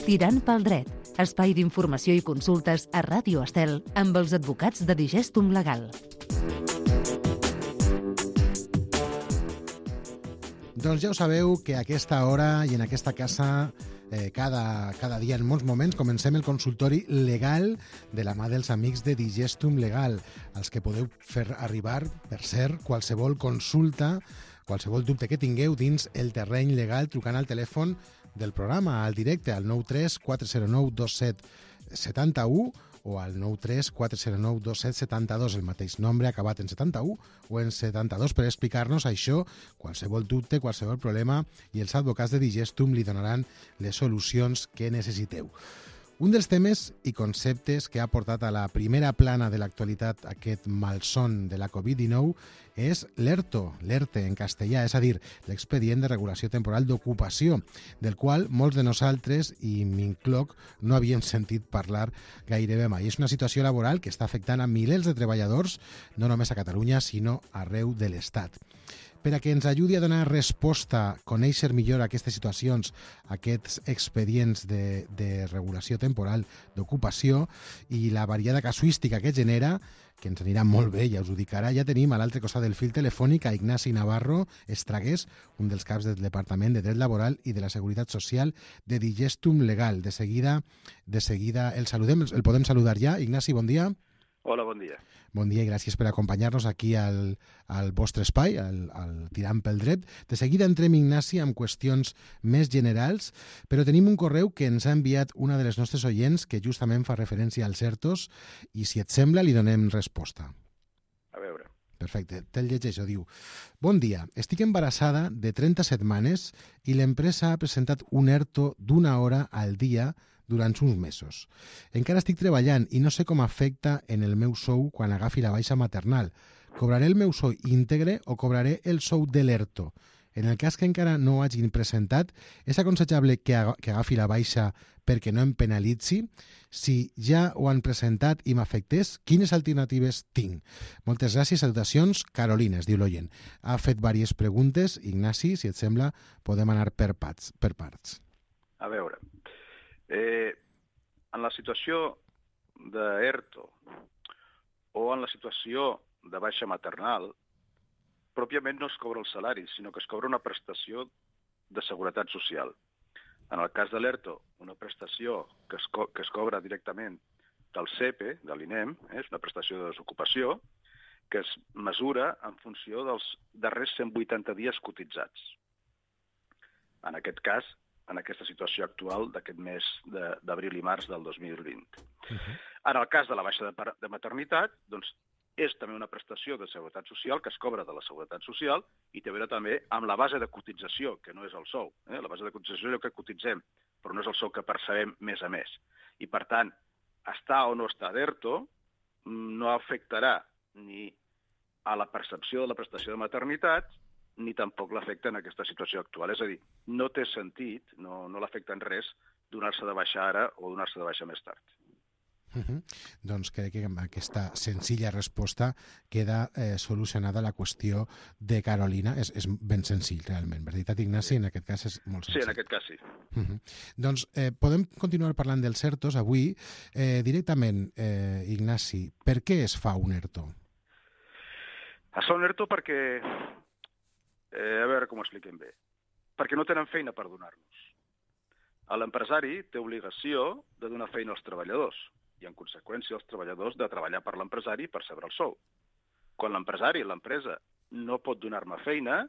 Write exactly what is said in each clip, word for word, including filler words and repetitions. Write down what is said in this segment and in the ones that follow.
Tirant pel dret, espai d'informació i consultes a Ràdio Estel amb els advocats de Digestum Legal. Doncs ja ho sabeu que a aquesta hora i en aquesta casa eh, cada, cada dia, en molts moments, comencem el consultori legal de la mà dels amics de Digestum Legal, als que podeu fer arribar, per cert, qualsevol consulta, qualsevol dubte que tingueu dins el terreny legal trucant al telèfon del programa, al directe, al nou tres quatre zero nou dos set set u o al nou tres quatre zero nou dos set set dos, el mateix nombre acabat en setanta-u o en setanta-dos, per explicar-nos això, qualsevol dubte, qualsevol problema, i els advocats de Digestum li donaran les solucions que necessiteu. Un dels temes i conceptes que ha portat a la primera plana de l'actualitat aquest malson de la covid dinou és l'ERTO, l'ERTE en castellà, és a dir, l'expedient de regulació temporal d'ocupació, del qual molts de nosaltres, i m'incloc, no havíem sentit parlar gairebé mai. És una situació laboral que està afectant a milers de treballadors, no només a Catalunya, sinó arreu de l'Estat. Per a que ens ajudi a donar resposta, conèixer millor aquestes situacions, aquests expedients de, de regulació temporal d'ocupació i la variada casuística que genera, que ens anirà molt bé, ja us ho dic ara, ja tenim a l'altre costat del fil telefònic a Ignasi Navarro Estragués, un dels caps del Departament de Dret Laboral i de la Seguretat Social de Digestum Legal. De seguida, de seguida el saludem, el podem saludar ja. Ignasi, bon dia. Hola, bon dia. Bon dia i gràcies per acompanyar-nos aquí al, al vostre espai, al, al Tirant pel Dret. De seguida entrem, Ignasi, amb qüestions més generals, però tenim un correu que ens ha enviat una de les nostres oients que justament fa referència als ERTOs i, si et sembla, li donem resposta. A veure. Perfecte, te'l llegeixo, diu: bon dia, estic embarassada de trenta setmanes i l'empresa ha presentat un ERTO d'una hora al dia durant uns mesos. Encara estic treballant i no sé com afecta en el meu sou quan agafi la baixa maternal. Cobraré el meu sou íntegre o cobraré el sou de l'ERTO? En el cas que encara no ho hagin presentat, és aconsellable que, ag que agafi la baixa perquè no em penalitzi? Si ja ho han presentat i m'afectés, quines alternatives tinc? Moltes gràcies, salutacions, Carolina, es diu l'oient. Ha fet diverses preguntes. Ignasi, si et sembla, podem anar per parts. Per parts. A veure, Eh, en la situació d'ERTO o en la situació de baixa maternal, pròpiament no es cobra el salari, sinó que es cobra una prestació de seguretat social. En el cas de l'ERTO, una prestació que es, co que es cobra directament del SEPE, de l'INEM, eh, és una prestació de desocupació, que es mesura en funció dels darrers cent vuitanta dies cotitzats. En aquest cas, en aquesta situació actual d'aquest mes d'abril i març del dos mil vint. Uh-huh. En el cas de la baixa de, de maternitat, doncs, és també una prestació de seguretat social que es cobra de la seguretat social i té a veure també amb la base de cotització, que no és el sou. Eh? La base de cotització és el que cotitzem, però no és el sou que percebem mes a mes. I, per tant, estar o no estar d'ERTO no afectarà ni a la percepció de la prestació de maternitat ni tampoc l'afecta en aquesta situació actual. És a dir, no té sentit, no, no l'afecta en res, donar-se de baixa ara o donar-se de baixa més tard. Uh -huh. Doncs crec que amb aquesta senzilla resposta queda eh, solucionada la qüestió de Carolina. És, és ben senzill, realment. Veritat, Ignasi? En aquest cas és molt senzill. Sí, en aquest cas sí. Uh -huh. Doncs eh, podem continuar parlant dels ERTOs avui. Eh, directament, eh, Ignasi, per què es fa un ERTO? Es fa un ERTO perquè... Eh, a veure com ho expliquem bé. Perquè no tenen feina per donar-nos. L'empresari té obligació de donar feina als treballadors i, en conseqüència, els treballadors de treballar per l'empresari per saber el sou. Quan l'empresari, l'empresa, no pot donar-me feina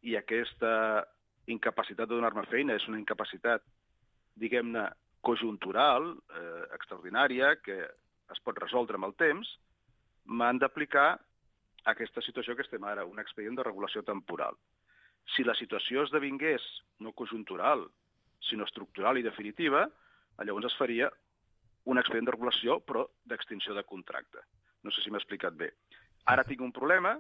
i aquesta incapacitat de donar-me feina és una incapacitat, diguem-ne, conjuntural, eh, extraordinària, que es pot resoldre amb el temps, m'han d'aplicar aquesta situació que estem ara, un expedient de regulació temporal. Si la situació esdevingués no conjuntural, sinó estructural i definitiva, llavors es faria un expedient de regulació, però d'extinció de contracte. No sé si m'he explicat bé. Ara tinc un problema,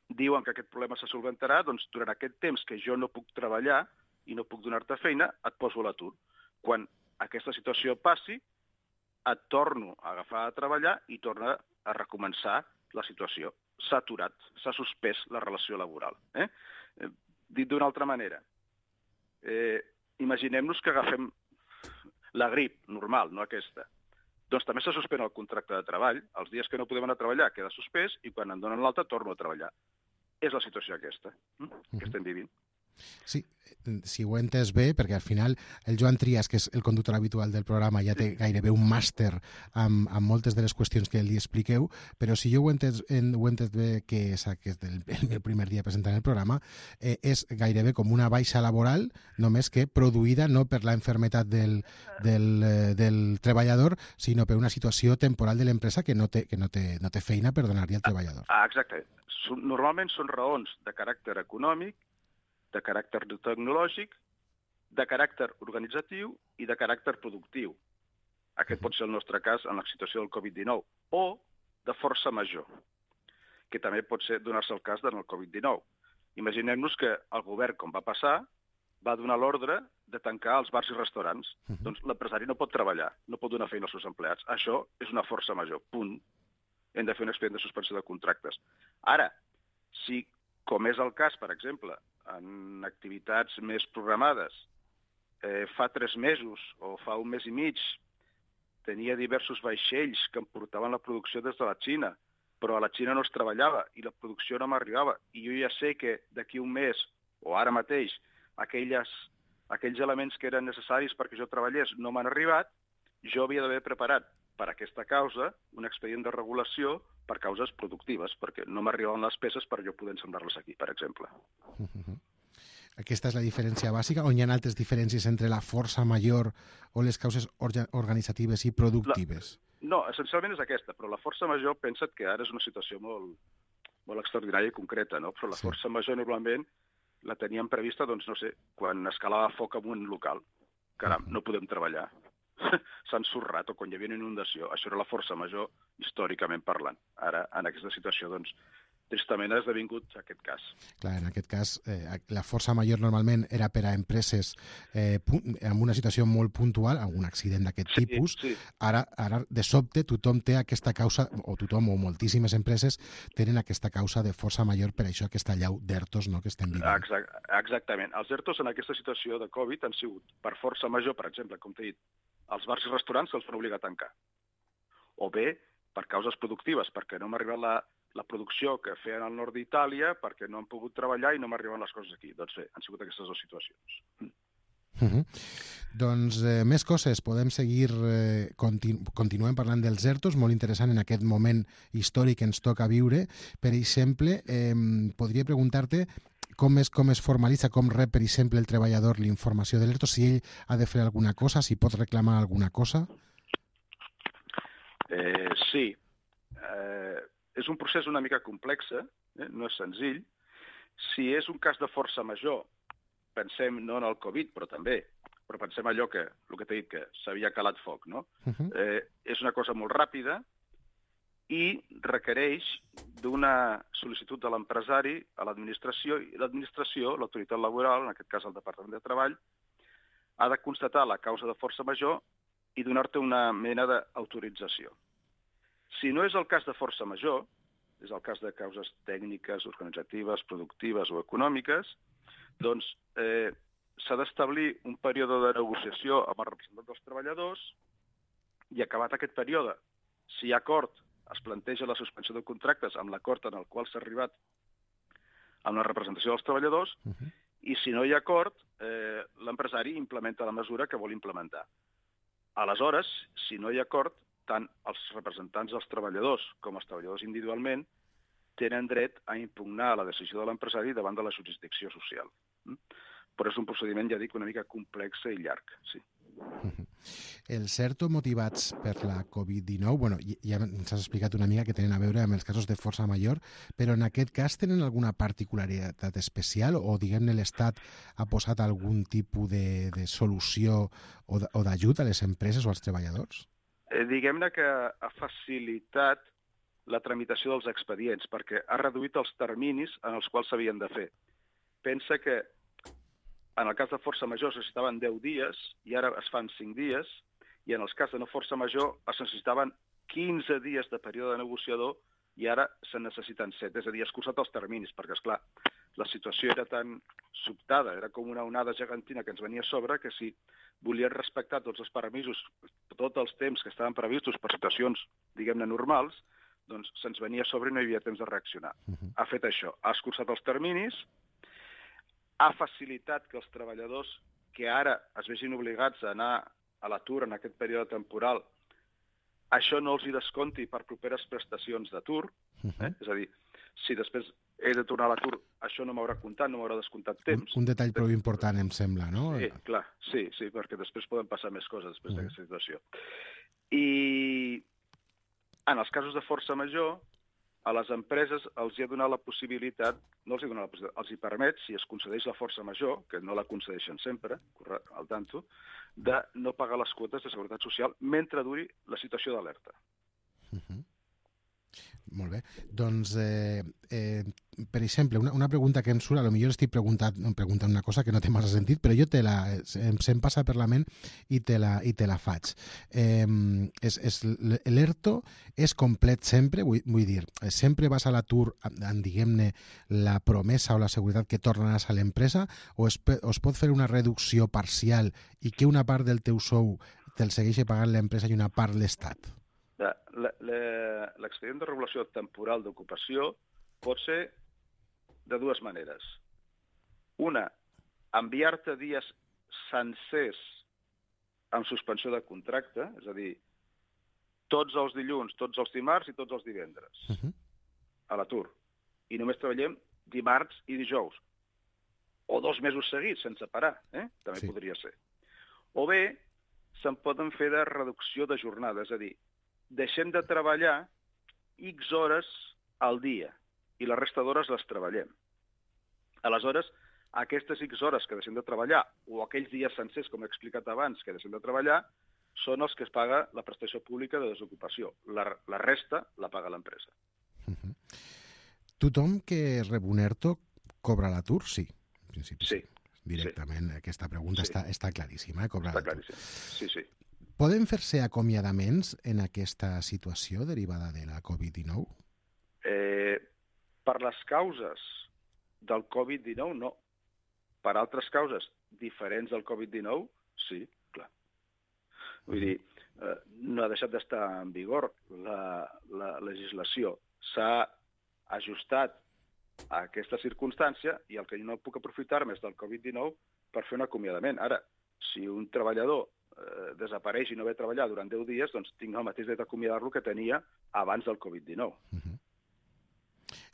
diuen que aquest problema se solventarà, doncs durant aquest temps que jo no puc treballar i no puc donar-te feina, et poso a l'atur. Quan aquesta situació passi, et torno a agafar a treballar i torna a recomençar la situació. s'ha aturat, s'ha suspès la relació laboral. Eh? Eh, dit d'una altra manera, eh, imaginem-nos que agafem la grip normal, no aquesta. Doncs també se suspèn el contracte de treball, els dies que no podem anar a treballar queda suspès i quan em donen l'alta torno a treballar. És la situació aquesta, eh? que estem vivint. Sí, si ho he entès bé, perquè al final el Joan Trias, que és el conductor habitual del programa, ja té gairebé un màster amb, amb moltes de les qüestions que li expliqueu, però si jo ho he entès, ho he entès bé, que és aquest el, el meu primer dia presentant el programa, eh, és gairebé com una baixa laboral, només que produïda no per la enfermetat del, del, eh, del treballador, sinó per una situació temporal de l'empresa que no té, que no té, no té feina per donar-li al treballador. Ah, exacte. Normalment són raons de caràcter econòmic, de caràcter tecnològic, de caràcter organitzatiu i de caràcter productiu. Aquest pot ser el nostre cas en la situació del covid dinou. O de força major, que també pot ser donar-se el cas del covid dinou. Imaginem-nos que el govern, com va passar, va donar l'ordre de tancar els bars i restaurants. Uh-huh. Doncs l'empresari no pot treballar, no pot donar feina als seus empleats. Això és una força major, punt. Hem de fer un expedient de suspensió de contractes. Ara, si, com és el cas, per exemple, en activitats més programades, eh, fa tres mesos o fa un mes i mig tenia diversos vaixells que em portaven la producció des de la Xina, però a la Xina no es treballava i la producció no m'arribava. I jo ja sé que d'aquí un mes, o ara mateix, aquelles, aquells elements que eren necessaris perquè jo treballés no m'han arribat, jo havia d'haver preparat per aquesta causa un expedient de regulació per causes productives, perquè no m'arribaven les peces per jo poder ensamblar-les aquí, per exemple. Uh-huh. Aquesta és la diferència bàsica, on hi ha altres diferències entre la força major o les causes organitzatives i productives? La... No, essencialment és aquesta, però la força major, pensa't que ara és una situació molt, molt extraordinària i concreta, no? Però la sí. força major normalment la teníem prevista, doncs no sé, quan escalava foc en un local. Caram, uh-huh. no podem treballar. S'ha ensorrat, o quan hi havia una inundació. Això era la força major, històricament parlant. Ara, en aquesta situació, doncs, tristament ha esdevingut aquest cas. Clar, en aquest cas, eh, la força major normalment era per a empreses eh, en una situació molt puntual, algun accident d'aquest sí, tipus. Sí. Ara, ara, de sobte, tothom té aquesta causa, o tothom, o moltíssimes empreses, tenen aquesta causa de força major, per això aquesta llau d'ERTOs, no?, que estem vivint. Exact, exactament. Els ERTOs en aquesta situació de Covid han sigut per força major, per exemple, com t'he dit, els bars i restaurants se'ls van obligar a tancar. O bé, per causes productives, perquè no m'ha arribat la, la producció que feien al nord d'Itàlia, perquè no han pogut treballar i no m'arriben les coses aquí. Doncs bé, han sigut aquestes dues situacions. Uh-huh. Doncs eh, més coses, podem seguir, eh, continu continuem parlant dels ERTOs, molt interessant en aquest moment històric que ens toca viure. Per exemple, eh, podria preguntar-te com es, com es formalitza, com rep, per exemple, el treballador l'informació de l'ERTO, si ell ha de fer alguna cosa, si pot reclamar alguna cosa? Eh, sí. Eh, és un procés una mica complex, eh? No és senzill. Si és un cas de força major, pensem no en el Covid, però també, però pensem allò que, el que t'he dit, que s'havia calat foc, no? Uh-huh. eh, és una cosa molt ràpida i requereix d'una sol·licitud de l'empresari a l'administració, i l'administració, l'autoritat laboral, en aquest cas el Departament de Treball, ha de constatar la causa de força major i donar-te una mena d'autorització. Si no és el cas de força major, és el cas de causes tècniques, organitzatives, productives o econòmiques, doncs eh, s'ha d'establir un període de negociació amb el representant dels treballadors i acabat aquest període, si hi ha acord, es planteja la suspensió de contractes amb l'acord en el qual s'ha arribat amb la representació dels treballadors, uh-huh. i si no hi ha acord, eh, l'empresari implementa la mesura que vol implementar. Aleshores, si no hi ha acord, tant els representants dels treballadors com els treballadors individualment tenen dret a impugnar la decisió de l'empresari davant de la jurisdicció social. Però és un procediment, ja dic, una mica complex i llarg, sí. Els ERTO motivats per la covid dinou, bueno, ja ens has explicat una mica que tenen a veure amb els casos de força major, però en aquest cas tenen alguna particularitat especial o, diguem-ne, l'Estat ha posat algun tipus de, de solució o d'ajut a les empreses o als treballadors? Eh, diguem-ne que ha facilitat la tramitació dels expedients perquè ha reduït els terminis en els quals s'havien de fer. Pensa que en el cas de força major es necessitaven deu dies i ara es fan cinc dies, i en els cas de no força major es necessitaven quinze dies de període negociador i ara se'n necessiten set. És a dir, ha escurçat els terminis, perquè, esclar, la situació era tan sobtada, era com una onada gegantina que ens venia a sobre, que si volien respectar tots els permisos, tots els temps que estaven previstos per situacions, diguem-ne, normals, doncs se'ns venia a sobre i no hi havia temps de reaccionar. Uh-huh. Ha fet això, ha escurçat els terminis, ha facilitat que els treballadors que ara es vegin obligats a anar a l'atur en aquest període temporal, això no els hi desconti per properes prestacions d'atur, eh? És a dir, si després he de tornar a l'atur, això no m'haurà comptat, no m'haurà descomptat temps. Un, un detall prou important, em sembla, no? Sí, clar, sí, sí, perquè després poden passar més coses després uh-huh. d'aquesta situació. I en els casos de força major, a les empreses els hi ha donat la possibilitat, no els hi ha donat la possibilitat, els hi permet, si es concedeix la força major, que no la concedeixen sempre, al tanto, de no pagar les quotes de seguretat social mentre duri la situació d'alerta. Uh-huh. Molt bé. Doncs, eh, eh, per exemple, una, una pregunta que em surt, potser estic preguntant, preguntant una cosa que no té massa sentit, però jo te la, em, se'm passa per la ment i te la, i te la faig. Eh, és, és, l'ERTO és complet sempre, vull, vull dir, sempre vas a l'atur amb, diguem-ne, la promesa o la seguretat que tornaràs a l'empresa, o es, o es pot fer una reducció parcial i que una part del teu sou te'l segueixi pagant l'empresa i una part l'Estat? L'expedient de regulació temporal d'ocupació pot ser de dues maneres. Una, enviar-te dies sencers amb suspensió de contracte, és a dir, tots els dilluns, tots els dimarts i tots els divendres uh-huh. a l'atur. I només treballem dimarts i dijous. O dos mesos seguits, sense parar, eh? També sí. Podria ser. O bé, se'n poden fer de reducció de jornada, és a dir, deixem de treballar X hores al dia i la resta d'hores les treballem. Aleshores, aquestes X hores que deixem de treballar o aquells dies sencers, com he explicat abans, que deixem de treballar, són els que es paga la prestació pública de desocupació. La, la resta la paga l'empresa. Uh-huh. Tothom que rep un ERTO cobra l'atur? Sí. En principi, sí. Directament, sí. Aquesta pregunta sí. està, està claríssima. Eh? Cobra està claríssim. Sí, sí. Poden fer-se acomiadaments en aquesta situació derivada de la covid dinou? Eh, per les causes del covid dinou, no. Per altres causes diferents del covid dinou, sí, clar. Vull dir, eh, no ha deixat d'estar en vigor la, la legislació. S'ha ajustat a aquesta circumstància i el que jo no puc aprofitar més del covid dinou per fer un acomiadament. Ara, si un treballador eh, desapareix i no ve a treballar durant deu dies, doncs tinc el mateix dret d'acomiadar-lo que tenia abans del covid dinou. Uh-huh.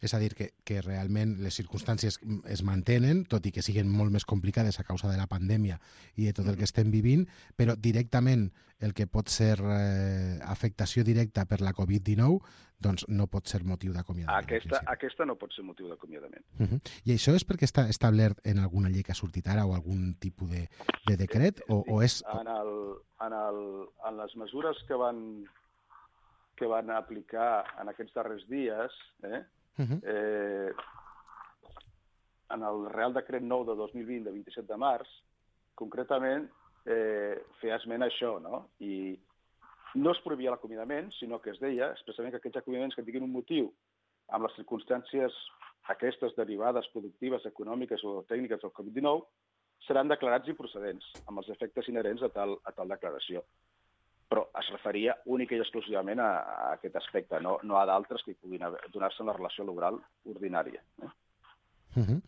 És a dir, que, que realment les circumstàncies es mantenen, tot i que siguin molt més complicades a causa de la pandèmia i de tot el que estem vivint, però directament el que pot ser eh, afectació directa per la covid dinou doncs no pot ser motiu d'acomiadament. Aquesta, aquesta no pot ser motiu d'acomiadament. Uh-huh. I això és perquè està establert en alguna llei que ha sortit ara o algun tipus de, de decret? O, o és... En, el, en, el, en les mesures que van, que van aplicar en aquests darrers dies, eh, Uh-huh. Eh, en el Real Decret nou de dos mil vint, de vint-i-set de març, concretament eh, feia esment a això, no? I no es prohibia l'acomiadament, sinó que es deia expressament que aquests acomiadaments que tinguin un motiu amb les circumstàncies aquestes derivades productives, econòmiques o tècniques del covid dinou seran declarats improcedents, amb els efectes inherents a tal, a tal declaració. Però es referia única i exclusivament a, a aquest aspecte, no, no a d'altres que puguin donar-se en la relació laboral ordinària. Eh? Uh-huh.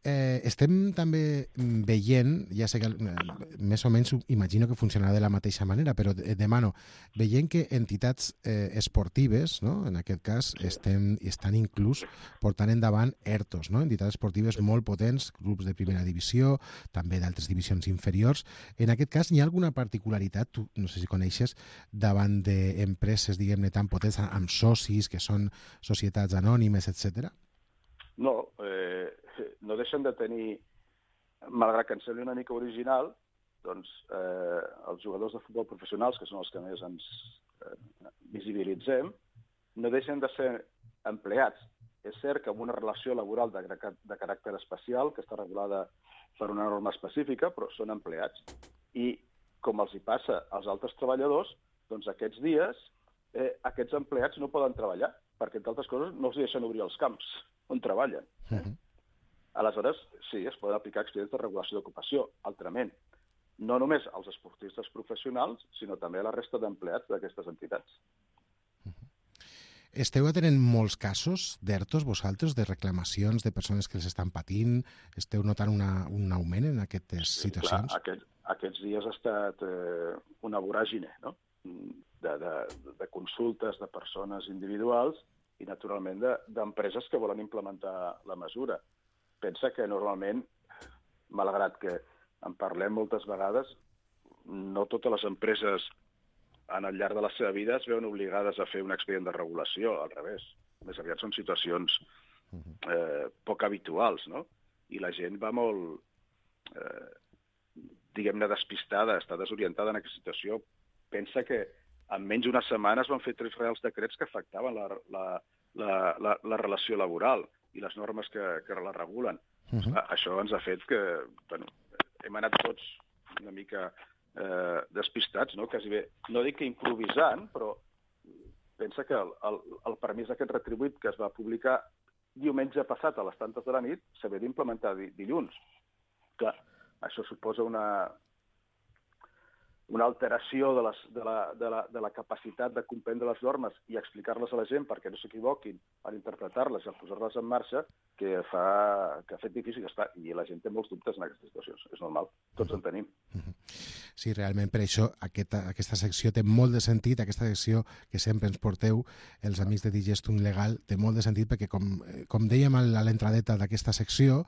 Eh, estem també veient, ja sé que eh, més o menys imagino que funcionarà de la mateixa manera, però demano, veient que entitats eh, esportives, no? En aquest cas, estem, estan inclús portant endavant ERTOs, no? Entitats esportives molt potents, grups de primera divisió, també d'altres divisions inferiors. En aquest cas, hi ha alguna particularitat, tu no sé si coneixes, davant d'empreses, diguem-ne, tan potents, amb socis, que són societats anònimes, etcètera? No, eh, no deixen de tenir, malgrat que ens sembli una mica original, doncs eh, els jugadors de futbol professionals, que són els que més ens eh, visibilitzem, no deixen de ser empleats. És cert que amb una relació laboral de, de caràcter especial, que està regulada per una norma específica, però són empleats. I com els hi passa als altres treballadors, doncs aquests dies eh, aquests empleats no poden treballar, perquè, entre altres coses, no els deixen obrir els camps on treballen. Eh? Uh -huh. Aleshores, sí, es poden aplicar expedients de regulació d'ocupació, altrament. No només als esportistes professionals, sinó també a la resta d'empleats d'aquestes entitats. Uh -huh. Esteu atenent molts casos d'ERTOs, vosaltres, de reclamacions de persones que els estan patint? Esteu notant una, un augment en aquestes sí, situacions? Clar, aquest, aquests dies ha estat eh, una voràgine, no? de, de, de consultes de persones individuals i, naturalment, d'empreses de, que volen implementar la mesura. Pensa que, normalment, malgrat que en parlem moltes vegades, no totes les empreses en el llarg de la seva vida es veuen obligades a fer un expedient de regulació, al revés. Més aviat són situacions eh, poc habituals, no? I la gent va molt, eh, diguem-ne, despistada, està desorientada en aquesta situació. Pensa que en menys d'una setmana es van fer tres reals decrets que afectaven la, la, la, la, la relació laboral i les normes que, que la regulen. Uh-huh. Això ens ha fet que, bueno, hem anat tots una mica eh, despistats, no? Quasi bé, no dic que improvisant, però pensa que el, el, el permís aquest retribuït que es va publicar diumenge passat a les tantes de la nit s'havia d'implementar dilluns. Clar, això suposa una, una alteració de, les, de, la, de, la, de la capacitat de comprendre les normes i explicar-les a la gent perquè no s'equivoquin a interpretar-les i a posar-les en marxa, que, fa, que ha fet difícil estar. I la gent té molts dubtes en aquestes situacions. És normal, tots en tenim. Sí, realment, per això aquesta, aquesta secció té molt de sentit, aquesta secció que sempre ens porteu, els amics de Digestum Legal, té molt de sentit perquè, com, com dèiem a l'entradeta d'aquesta secció,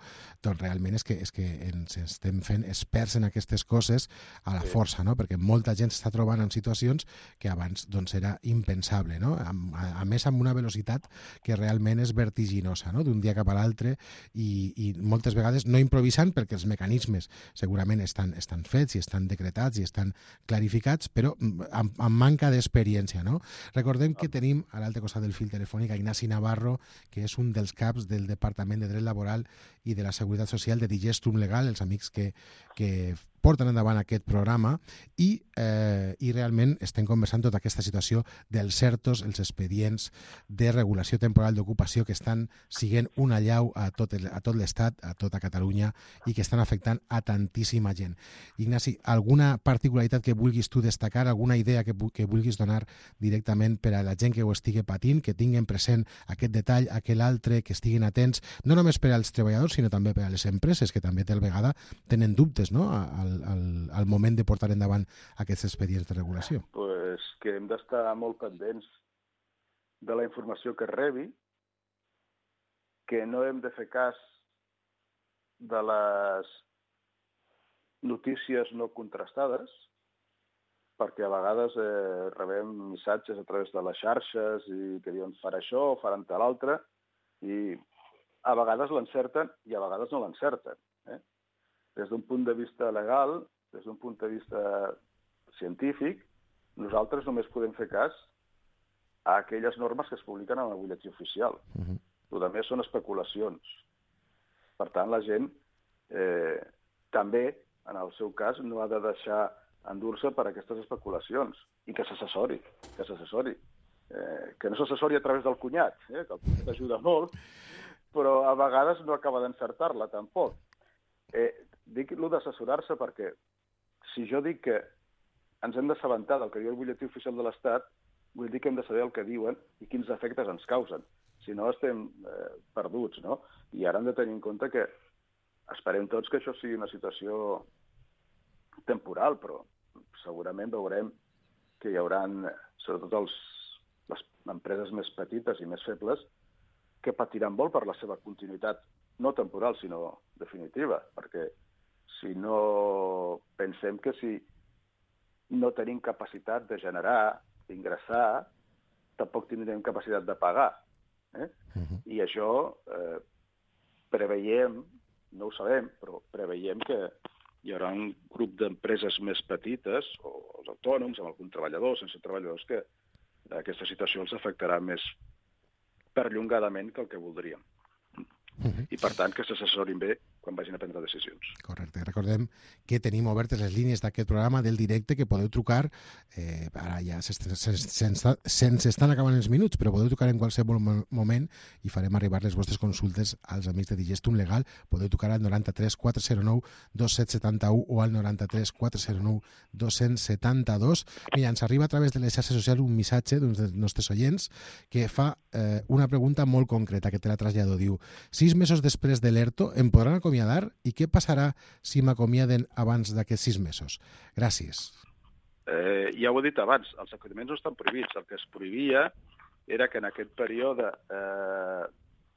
doncs realment és que, és que ens estem fent experts en aquestes coses a la sí. força, no? Perquè molta gent s'està trobant en situacions que abans doncs, era impensable, no? A, a, a més, amb una velocitat que realment és vertiginosa, no? D'un dia cap a l'altre i, i moltes vegades no improvisant perquè els mecanismes segurament estan, estan fets i estan decretats i estan clarificats, però amb, amb manca d'experiència, no? Recordem que tenim a l'altre costat del fil telefònic a Ignasi Navarro, que és un dels caps del Departament de Dret Laboral i de la Seguretat Social de Digestum Legal, els amics que, que porten endavant aquest programa i, eh, i realment estem conversant tota aquesta situació dels ERTOs, els expedients de regulació temporal d'ocupació que estan siguent una allau a tot, el, a tot l'Estat, a tota Catalunya i que estan afectant a tantíssima gent. Ignasi, alguna particularitat que vulguis tu destacar, alguna idea que, que vulguis donar directament per a la gent que ho estigui patint, que tinguin present aquest detall, aquell altre, que estiguin atents, no només per als treballadors, sinó també per a les empreses, que també tal vegada tenen dubtes, no?, al, al, al moment de portar endavant aquests expedients de regulació? Pues que hem d'estar molt pendents de la informació que es rebi, que no hem de fer cas de les notícies no contrastades, perquè a vegades eh, rebem missatges a través de les xarxes i que diuen farà això o faran tal altre, i a vegades l'encerten i a vegades no l'encerten. Eh? Des d'un punt de vista legal, des d'un punt de vista científic, nosaltres només podem fer cas a aquelles normes que es publiquen en el butlletí oficial. Uh-huh. El que més són especulacions. Per tant, la gent eh, també, en el seu cas, no ha de deixar endur-se per aquestes especulacions i que s'assessori, que s'assessori. Eh, que no s'assessori a través del cunyat, eh, que el cunyat ajuda molt, però a vegades no acaba d'encertar-la, tampoc. Eh, dic allò d'assessorar-se perquè si jo dic que ens hem d'assabentar del que diu el butlletí oficial de l'Estat, vull dir que hem de saber el que diuen i quins efectes ens causen. Si no, estem eh, perduts, no? I ara hem de tenir en compte que esperem tots que això sigui una situació temporal, però segurament veurem que hi haurà, sobretot els, les empreses més petites i més febles, que patiran molt per la seva continuïtat, no temporal, sinó definitiva, perquè si no pensem que si no tenim capacitat de generar, d'ingressar, tampoc tindrem capacitat de pagar. Eh? Uh-huh. I això eh, preveiem, no ho sabem, però preveiem que hi haurà un grup d'empreses més petites, o els autònoms, amb algun treballador, sense treballadors, que aquesta situació els afectarà més perllongadament que el que voldríem. Uh-huh. I, per tant, que s'assessorin bé quan vagin a prendre decisions. Correcte. Recordem que tenim obertes les línies d'aquest programa del directe, que podeu trucar, eh, ara ja se'ns estan acabant els minuts, però podeu trucar en qualsevol moment i farem arribar les vostres consultes als amics de Digestum Legal. Podeu trucar al noranta-tres quatre zero nou dos set set u o al noranta-tres quatre zero nou dos set dos. Mira, ens arriba a través de les xarxes socials un missatge d'uns dels nostres oients que fa eh, una pregunta molt concreta, que te la trasllado. Diu: sis mesos després de l'ERTO em podran acomiadar i què passarà si m'acomiaden abans d'aquests sis mesos? Gràcies. Eh, ja ho he dit abans, els acomiadaments no estan prohibits. El que es prohibia era que en aquest període eh,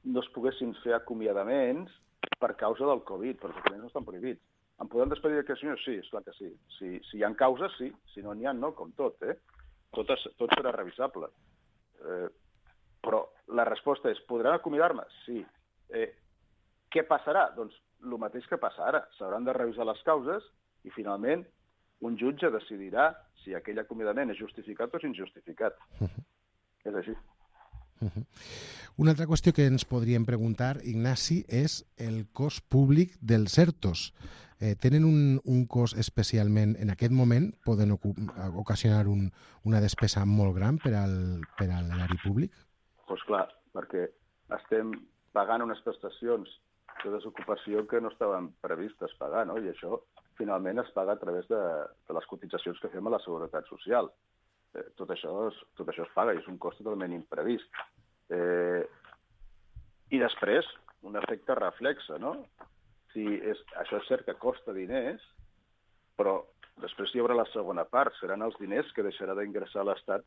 no es poguessin fer acomiadaments per causa del Covid, però els acomiadaments no estan prohibits. Em podem despedir d'aquest senyor? Sí, esclar que sí. Si, si hi ha causes, sí. Si no n'hi ha, no, com tot. Eh? Tot, es, tot serà revisable. Eh, però la resposta és: podran acomiadar-me? Sí. Eh, què passarà? Doncs el mateix que passa ara. S'hauran de revisar les causes i, finalment, un jutge decidirà si aquell acomiadament és justificat o és injustificat. Uh-huh. És així. Uh-huh. Una altra qüestió que ens podríem preguntar, Ignasi, és el cost públic dels ERTOs. Eh, tenen un, un cost especialment, en aquest moment, poden ocasionar un, una despesa molt gran per al, per a l'erari públic? Doncs pues clar, perquè estem pagant unes prestacions de desocupació que no estaven previstes pagar, no? I això finalment es paga a través de, de les cotitzacions que fem a la Seguretat Social. Eh, tot, això es, tot això es paga i és un cost totalment imprevist. Eh, I després, un efecte reflexe, no? Si és, això és cert que costa diners, però després hi haurà la segona part, seran els diners que deixarà d'ingressar l'Estat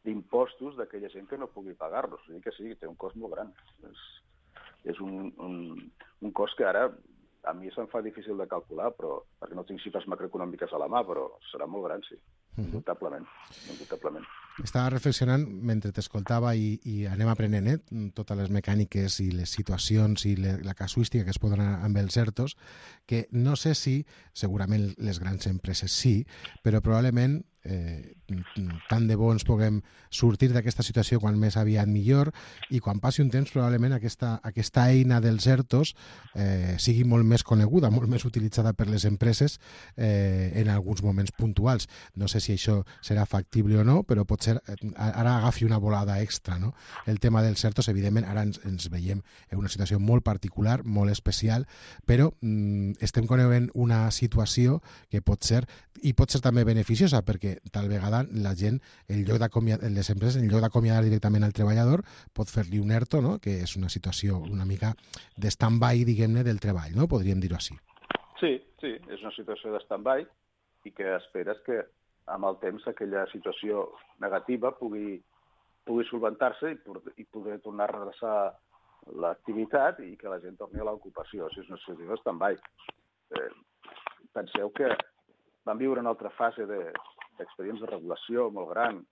d'impostos d'aquella gent que no pugui pagar-los. O sigui que sí, té un cost molt gran. És, és un, un, un cost que ara a mi se'm fa difícil de calcular, però perquè no tinc xifres macroeconòmiques a la mà, però serà molt gran, sí. Indubtablement. Indubtablement. Estava reflexionant mentre t'escoltava i, i anem aprenent eh, totes les mecàniques i les situacions i le, la casuística que es poden anar amb els ERTOs, que no sé si, segurament les grans empreses sí, però probablement eh, tant de bo ens puguem sortir d'aquesta situació quan més aviat millor, i quan passi un temps probablement aquesta, aquesta eina dels ERTOs eh, sigui molt més coneguda, molt més utilitzada per les empreses eh, en alguns moments puntuals. No sé si això serà factible o no, però potser ara agafi una volada extra, no? El tema dels ERTOs, evidentment, ara ens, ens veiem en una situació molt particular, molt especial, però mm, estem coneguent una situació que pot ser, i pot ser també beneficiosa, perquè tal vegada la gent, en lloc d'acomiadar, les empreses, en lloc d'acomiadar directament al treballador, pot fer-li un ERTO, no? Que és una situació una mica de stand-by, diguem-ne, del treball, no? Podríem dir-ho així. Sí, sí, és una situació de stand-by i que esperes que amb el temps aquella situació negativa pugui, pugui solventar-se i, i poder tornar a redreçar l'activitat i que la gent torni a l'ocupació. O sigui, és una situació de stand-by. Eh, penseu que vam viure una altra fase de, d'expedients de regulació molt gran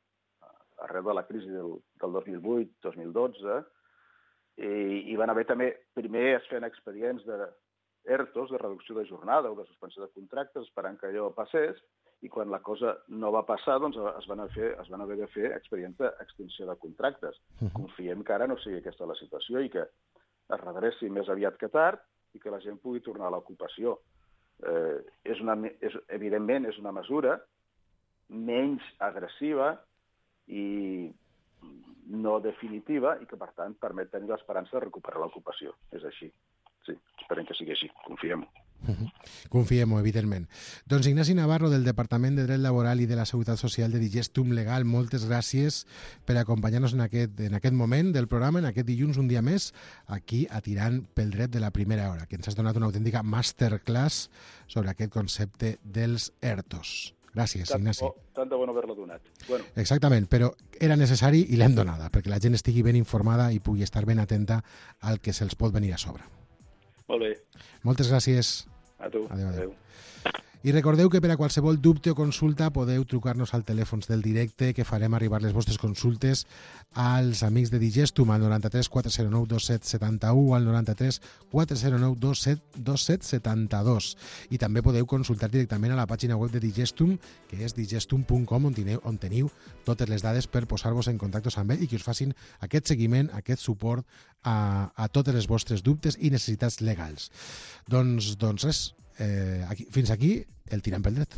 arrel de la crisi del, del dos mil vuit dos mil dotze i, i van haver també, primer es feien expedients de ERTOs, de reducció de jornada o de suspensió de contractes, esperant que allò passés, i quan la cosa no va passar, doncs es van, fer, es van haver de fer expedients d'extinció de contractes. Uh-huh. Confiem que ara no sigui aquesta la situació i que es redreci més aviat que tard i que la gent pugui tornar a l'ocupació. Eh, és una, és, evidentment, és una mesura menys agressiva i no definitiva i que, per tant, permet tenir l'esperança de recuperar l'ocupació. És així. Sí, esperem que sigui així. Confiem-ho. Uh-huh. Confiem-ho, evidentment. Doncs Ignasi Navarro, del Departament de Dret Laboral i de la Seguretat Social de Digestum Legal, moltes gràcies per acompanyar-nos en aquest, en aquest moment del programa, en aquest dilluns, un dia més, aquí a Tirant pel Dret de la Primera Hora, que ens has donat una autèntica masterclass sobre aquest concepte dels ERTOs. Gràcies, tant Ignasi. Bo, tant de bo no haver-la donat. Bueno. Exactament, però era necessari i l'hem donada, perquè la gent estigui ben informada i pugui estar ben atenta al que se'ls pot venir a sobre. Molt bé. Moltes gràcies. A tu. Adéu, adéu. I recordeu que per a qualsevol dubte o consulta podeu trucar-nos al telèfon del directe, que farem arribar les vostres consultes als amics de Digestum al noranta-tres quatre zero nou dos set set u o al noranta-tres quatre zero nou dos set dos set set dos. I també podeu consultar directament a la pàgina web de Digestum, que és digestum punt com, on teniu, on teniu totes les dades per posar-vos en contacte amb ell i que us facin aquest seguiment, aquest suport a, a totes les vostres dubtes i necessitats legals. Doncs, doncs res, eh, aquí, fins aquí el Tirant pel Dret.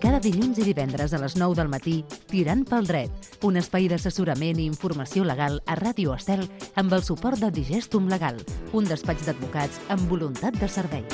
Cada dilluns i divendres a les nou del matí, Tirant pel Dret, un espai d'assessorament i informació legal a Ràdio Estel amb el suport de Digestum Legal, un despatx d'advocats amb voluntat de servei.